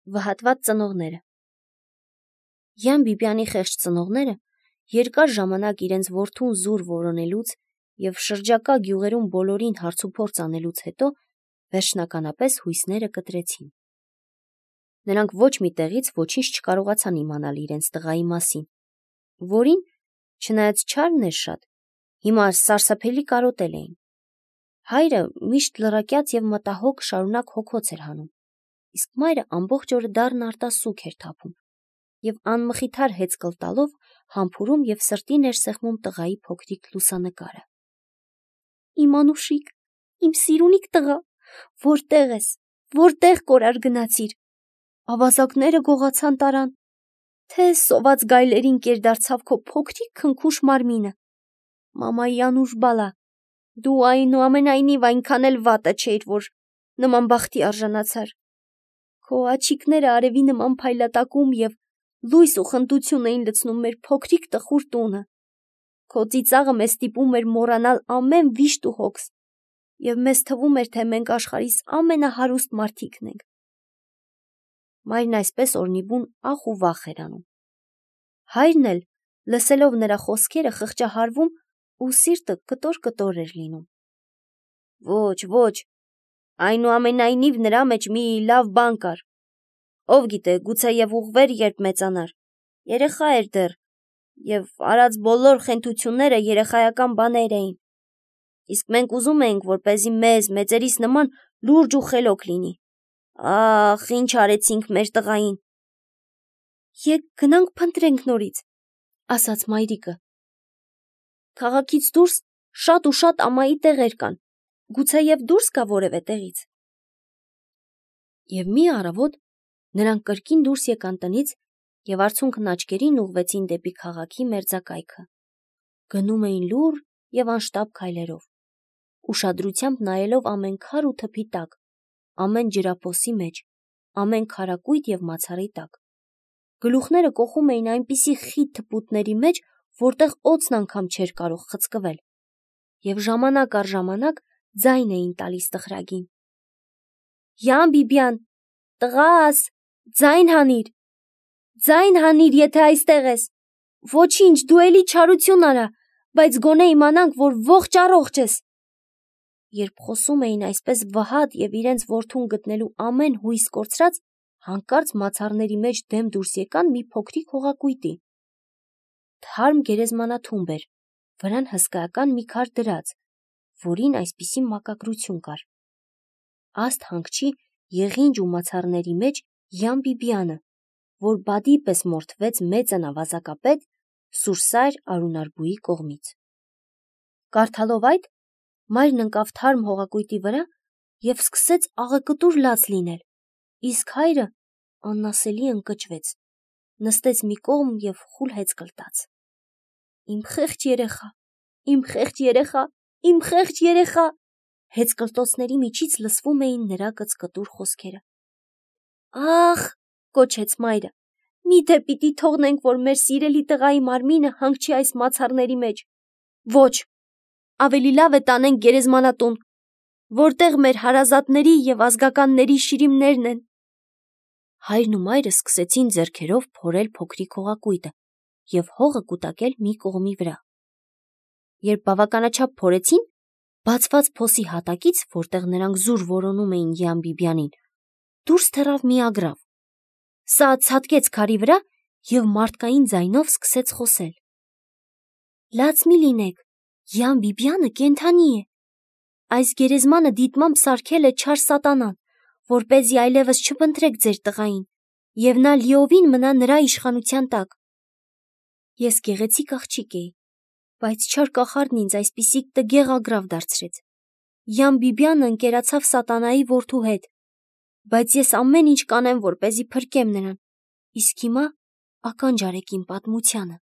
Վհատված ծնողները Յան Բիբյանի խեղճ ծնողները երկար ժամանակ իրենց որդուն զուր որոնելուց և շրջակա գյուղերում բոլորին հարցուփորձ անելուց հետո վերջնականապես հույսները կտրեցին։ Նրանք ոչ մի տեղից ոչինչ չկարողացան իմանալ իրենց տղայի մասին, որին, չնայած չարն էր շատ, հիմա սարսափելի կարոտել էին։ Հայրը միշտ լռակյաց և մտահոգ շարունակ հոգոց էր հանում, իսկ մայրը ամբողջ օրը դառն արտասուք էր թափում և անմխիթար հեծկլ տալով համբուրում և սրտի ներսեղմում տղայի փոքրիկ լուսանկարը։ Իմ Անուշիկ, իմ սիրունիկ տղա, որտեղ ես, որտեղ կորար գնացիր, ավազակները գողացան տարան, թե սոված գայլերին կերդարձավ քո փոքրիկ քնքուշ մարմինը։ Մամայի Անուշ բալա, դու այնուամենայնիվ այնքան էլ վատը չէիր, որ նման բախտի արժանացար։ Քո աչիկները արևի նման փայլատակում և լույս ու խնդություն էին լցնում մեր փոքրիկ տխուր տունը։ Քո ծիծաղը մեզ ստիպում էր մոռանալ ամեն վիշտ ու հոգս, և մեզ թվում էր, թե մենք աշխարհիս ամենահարուստ մարդիկն ենք։ Մայրն այսպես օրնիբուն ախ ու վախ էր անում։ Հայրն էլ, լսելով նրա խոսքերը, խղճահարվում ու սիրտը կտոր-կտոր էր լինում։ Ոչ, այնուամենայնիվ նրա մեջ մի լավ բան կար։ Ով գիտե, գուցեև ուղղվեր, երբ մեծանար։ Երեխա էր դեռ, և արած բոլոր խենթությունները երեխայական բաներ էին։ Իսկ մենք ուզում էինք, որպեսզի մեզ, մեծերիս նման լուրջ ու խելոք լինի։ Ախ, ինչ արեցինք մեր տղային։ Եկ գնանք փնտրենք նորից, ասաց մայրիկը։ Քաղաքից դուրս շատ ու շատ ամայի տեղեր կան, գուցեև դուրս գա որևէ տեղից։ Եվ մի առավոտ նրանք կրկին դուրս եկան տնից և արցունքն աչքերին ուղղվեցին դեպի քաղաքի մերձակայքը։ Գնում էին լուռ և անշտապ քայլերով, ուշադրությամբ նայելով ամեն քար ու թփի տակ, ամեն ջրափոսի մեջ, ամեն քարակույտ և մացառի տակ։ Գլուխները կոխում էին այնպիսի խիտ թփուտների մեջ, որտեղ օձն անգամ չէր կարող խցկվել, և ժամանակ առ ժամանակ ձայն էին տալիս տխրագին։ Յան Բիբյան, տղաս, ձայն հանիր, եթե այստեղ ես։ Ոչինչ, դու էլի չարություն արա, բայց գոնե իմանանք, որ ողջ-առողջ ես։ Երբ խոսում էին այսպես վհատ և իրենց որդուն գտնելու ամեն հույս կորցրած, հանկարծ մացառների մեջ դեմ դուրս եկան մի փոքրիկ հողակույտի։ Թարմ գերեզմանաթումբ էր, վրան հսկայական մի քար դրած, որին այսպիսի մակագրություն կար. Աստ հանգչի եղինջ ու մացառների մեջ Յան Բիբյանը, որ բադի պես մորթվեց մեծն ավազակապետ Սուրսայր Արունարբուի կողմից։ Կարդալով այդ, մայրն ընկավ թարմ հողակույտի վրա և սկսեց աղեկտուր լաց լինել, իսկ հայրը անասելի ընկճվեց, նստեց մի կողմ և խուլ հեծկլ տաց։ Իմ խեղճ երեխա, իմ խեղճ երեխա, իմ խեղճ երեխա, հեծկլտոցների միջից լսվում էին նրա կծկտուր խոսքերը։ Ախ, կոչեց մայրը, միթե պիտի թողնենք, որ մեր սիրելի տղայի մարմինը հանգչի այս մացառների մեջ։ Ոչ, ավելի լավ է տանենք գերեզմանատուն, որտեղ մեր հարազատների և ազգականների շիրիմներն են։ Հայրն ու մայրը սկսեցին ձեռքերով փորել փոքրիկ հողակույտը և հողը կուտակել մի կողմի վրա։ Երբ բավականաչափ փորեցին, բացված փոսի հատակից, որտեղ նրանք զուր որոնում էին Յան Բիբյանին, դուրս թռավ մի ագռավ։ Սա ցատկեց քարի վրա և մարդկային ձայնով սկսեց խոսել. Լաց մի լինեք, Յան Բիբյանը կենդանի է։ Այս գերեզմանը դիտմամբ սարքել է չար սատանան, որպեսզի այլևս չփնտրեք ձեր տղային, և նա լիովին մնա նրա իշխանության տակ։ Ես գեղեցիկ աղջիկ էի, բայց չար կախարդն ինձ այսպիսի տգեղ ագռավ դարձրեց։ Յան Բիբյանը ընկերացավ սատանայի որդու հետ, բայց ես ամեն ինչ կանեմ, որպեսզի փրկեմ նրան, իսկ հիմա ականջ արեք իմ պատմությանը։